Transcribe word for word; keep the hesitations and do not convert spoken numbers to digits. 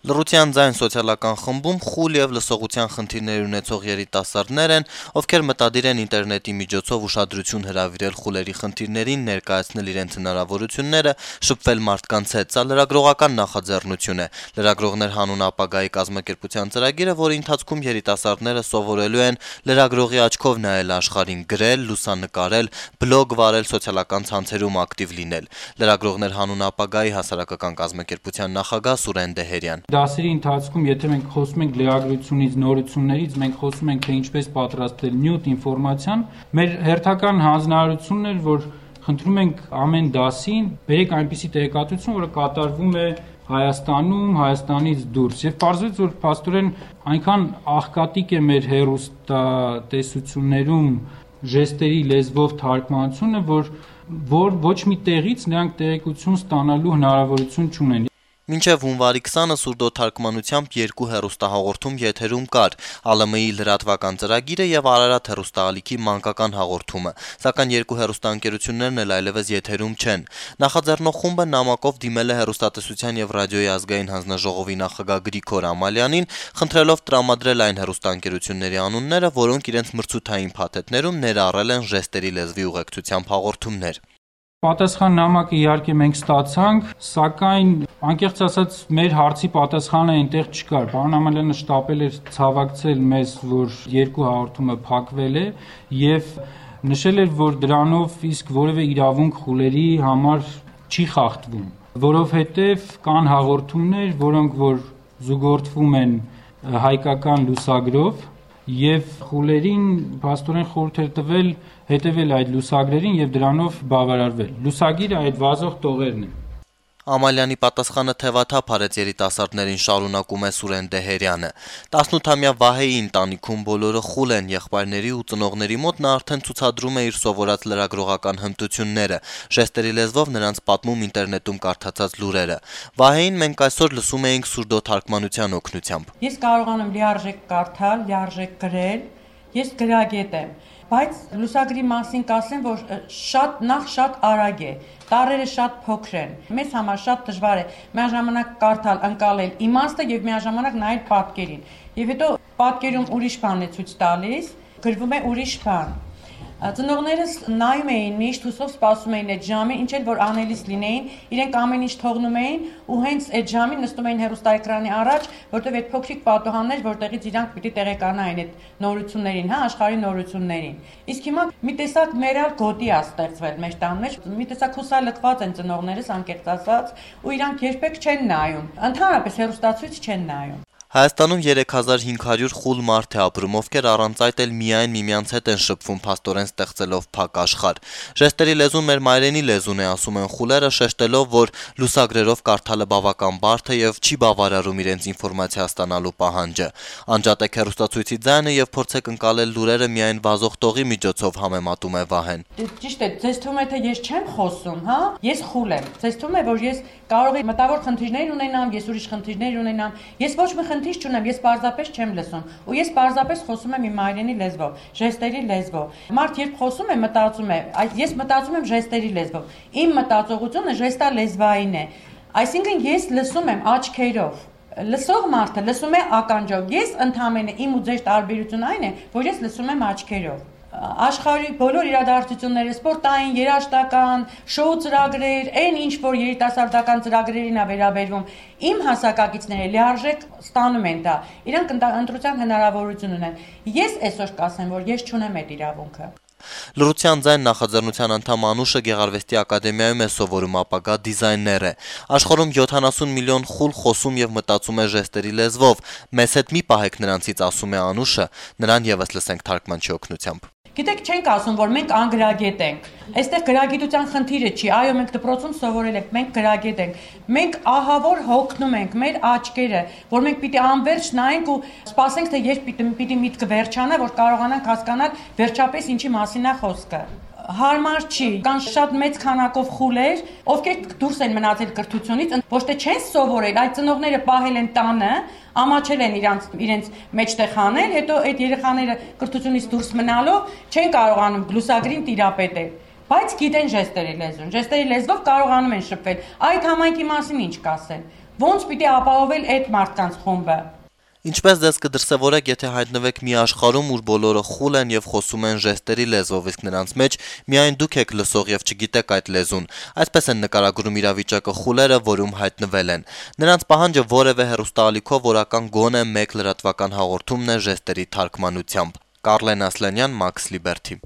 Լռության ձայն սոցիալական խմբում խուլ եւ լսողության խնդիրներ ունեցող երիտասարդներ են, ովքեր մտադիր են ինտերնետի միջոցով ուշադրություն հրավիրել խուլերի խնդիրներին, ներկայացնել իրենց հնարավորությունները, շփվել մարդկանց հետ։ Սա լրագրողական նախաձեռնություն է։ Լրագրողներ հանուն ապագայի կազմակերպության ծրագիրը, որի ընթացքում երիտասարդները սովորելու են լրագրողի աչքով նայել աշխարհին, գրել, լուսանկարել, բլոգ վարել, սոցիալական ցանցերում ակտիվ լինել։ Լրագրողներ հանուն ապագայի հասարակական կազմակերպության նախագահ Սուրեն Դեհերյան. Դասերի ընթացքում, եթե մենք խոսում ենք լրագրությունից, նորություններից, մենք խոսում ենք, թե ինչպես պատրաստել նյութ ինֆորմացիան, մեր հերթական հանձնարարությունն էր, որ խնդրում ենք ամեն դասին բերեք այնպիսի տեղեկատվություն, որը կատարվում է Հայաստանում, Հայաստանից դուրս։ Եվ պարզվեց, որ փաստորեն այնքան աղքատիկ է մեր հեռուստատեսություններում ժեստերի լեզվով թարգմանությունը, որ, որ ոչ մի տեղից նրանք տեղեկություն ստանալու հնարավորություն չունեն։ Մինչև հունվարի քսանը սուրդոթարգմանությամբ երկու հեռուստահաղորդում եթերում կար՝ ԱԼՄ-ի լրատվական ծրագիրը եւ Արարատ հեռուստաալիքի մանկական հաղորդումը, սակայն երկու հեռուստաընկերություններն էլ այլևս եթերում չեն։ Նախաձեռնող խումբը նամակով դիմել է հեռուստատեսության եւ ռադիոյի ազգային հանձնաժողովի նախագահ Գրիգոր Ամալյանին, խնդրելով տրամադրել այն հեռուստաընկերությունների անունները, որոնք իրենց մրցութային փաթեթներում ներառել են ժեստերի լեզվի ուղեկցությամբ հաղորդումներ։ Պատասխան նամակը իհարկե մենք ստացանք, սակայն անկեղծ ասած մեր հարցի պատասխանը այնտեղ չկար։ Պարոն Ամալյանը շտապել էր ցավակցել մեզ, որ երկու հաղորդումը փակվել է եւ նշել էր, որ դրանով իսկ որևէ իրավունք խուլերի համար չի խախտվում, որովհետեւ կան հաղորդումներ, որոնք որ զուգորդվում են հայկական լուսագրով եւ խուլերին փաստորեն խորհուրդ էր տվել հետևել այդ լուսագրերին եւ դրանով բավարարվել։ Լուսագիրը այդ վազող տողերն են։ Ամալյանի պատասխանը թևաթափ արեց երիտասարդներին, շարունակում է Սուրեն Դեհերյանը։ տասնութամյա Վահեի ընտանիքում բոլորը խուլ են, եղբայրների ու ծնողների մոտ նա արդեն ցուցադրում է իր սովորած լրագրողական հմտությունները, ժեստերի լեզվով նրանց պատմում ինտերնետում կարդացած լուրերը։ Վահեին մենք այսօր լսում էինք սուրդոթարգմանության օգնությամբ։ Ես կարողանում լիարժեք կարդալ, լիարժեք գրել, ես գրագետ եմ, բայց լուսագրի մասին կասեմ, որ շատ նախ շատ արագ է, տառերը շատ փոքր են, մեզ համար շատ դժվար է միաժամանակ կարդալ, ընկալել իմաստը եւ միաժամանակ նայել պատկերին, եւ հետո պատկերում ուրիշ բան է ցույց տալիս, գրվում է ուրիշ բան։ Ծնողներս նայում էին միշտ հուսով սպասում էին այդ ժամին, ինչ էլ որ անելիս լինեին, իրենք ամեն ինչ թողնում էին ու հենց այդ ժամին նստում էին հեռուստաէկրանի առաջ, որտեղ այդ փոքրիկ պատուհաններ, որտեղից իրանք պիտի տեղեկանային այդ նորություններին, հա, աշխարհի նորություններին։ Իսկ հիմա մի տեսակ մերալ գոտի է ստեղծվել մեր տան մեջ, մի տեսակ հուսալքված են ծնողներս, անկեղծ ասած, ու իրանք երբեք չեն նայում, ընդհանրապես հեռուստացույց չեն նայում։ Հայաստանում երեք հազար հինգ հարյուր խուլ մարդ է ապրում, ովքեր առանց այդ էլ միայն միմյանց հետ են շփվում, փաստորեն ստեղծելով փակ աշխարհ։ Ժեստերի լեզուն մեր մայրենի լեզուն է, ասում են խուլերը, շեշտելով, որ լուսագրերով կարդալը բավական բարդ է եւ չի բավարարում իրենց ինֆորմացիա ստանալու պահանջը։ Անջատեք հեռուստացույցի ձայնը եւ փորձեք ընկալել լուրերը միայն վազող տողի միջոցով, համեմատում է Վահեն։ Ճիշտ է, ձեզ թվում է, թե ես չեմ խոսում, հա? Ես խուլ եմ։ Ձեզ թվում է, որ ես կարող եմ մտավոր խնդիրներ ունենամ, ես ուրիշ խնդիրներ ունենամ։ Ես ոչ մի խնդիր չունեմ, ես պարզապես չեմ լսում, ու ես պարզապես խոսում եմ իմ մայրենի լեզվով, ժեստերի լեզվով։ Մարդ երբ խոսում է, մտածում է, ես մտածում եմ ժեստերի լեզվով։ Իմ մտածողությունը ժեստալեզվային է։ Այսինքն ես լսում եմ աչքերով։ Լսող մարդը լսում է ականջով։ Ես ընդհանրապես իմ ու ձեր տարբերությունը այն է, որ ես լսում եմ աչքերով։ Աշխարհի բոլոր իրադարձությունները, սպորտային, երաժշտական, շոու ծրագրեր, այն ինչ որ երիտասարդական ծրագրերին է վերաբերվում, իմ հասակակիցները լիարժեք ստանում են դա։ Իրանք ընտրության հնարավորություն ունեն։ Ես այսօր կասեմ, որ ես չունեմ այդ իրավունքը։ Լռության ձայն նախաձեռնության անդամ Անուշը Գեղարվեստի ակադեմիայում է սովորում, ապագա դիզայներ է։ Աշխարհում յոթանասուն միլիոն խուլ խոսում եւ մտածում է ժեստերի լեզվով։ Մեզ հետ մի պահեք նրանցից, ասում է Անուշը, նրան եւս լսենք թարգմանչի օգնությամբ։ Գիտեք, չենք ասում, որ մենք անգրագետ ենք։ Այստեղ գրագիտության խնդիրը չի, այո, մենք դպրոցում սովորել ենք, մենք գրագետ ենք։ Մենք ահավոր հոգնում ենք մեր աչքերը, որ մենք պիտի անverջ նայենք ու սպասենք, թե երբ պիտի, պիտի միտքը վերջանա, որ կարողանանք հասկանալ վերջապես ինչի մասին է խոսքը։ Հարմար չի, կան շատ մեծ քանակով խուլեր, ովքեր դուրս են մնացել կրթությունից, ոչ թե չեն սովորել, այդ ծնողները պահել են տանը, ամաչել են իրանց իրենց մեջտեղ հանել, հետո այդ երեխաները կրթությունից դուրս մնալով չեն կարողանում լուսագրին տիրապետել, բայց գիտեն ժեստերի լեզուն, ժեստերի լեզվով կարողանում են շփվել։ Այդ համայնքի մասին ինչ կասեն։ Ոնց պիտի ապահովել այդ մարդկանց խումբը։ Ինչպես ձեզ կդրսևորեք, եթե հայտնվեք մի աշխարհում, ուր բոլորը խուլ են եւ խոսում են ժեստերի լեզվով, իսկ նրանց մեջ միայն դուք եք լսող եւ չգիտեք այդ լեզուն։ Այսպես են նկարագրում իրավիճակը խուլերը, որում հայտնվել են։ Նրանց պահանջը որևէ հեռուստաալիքով օրական գոնե մեկ լրատվական հաղորդումն է ժեստերի թարգմանությամբ։ Կարլեն Ասլանյան, Max Liberty։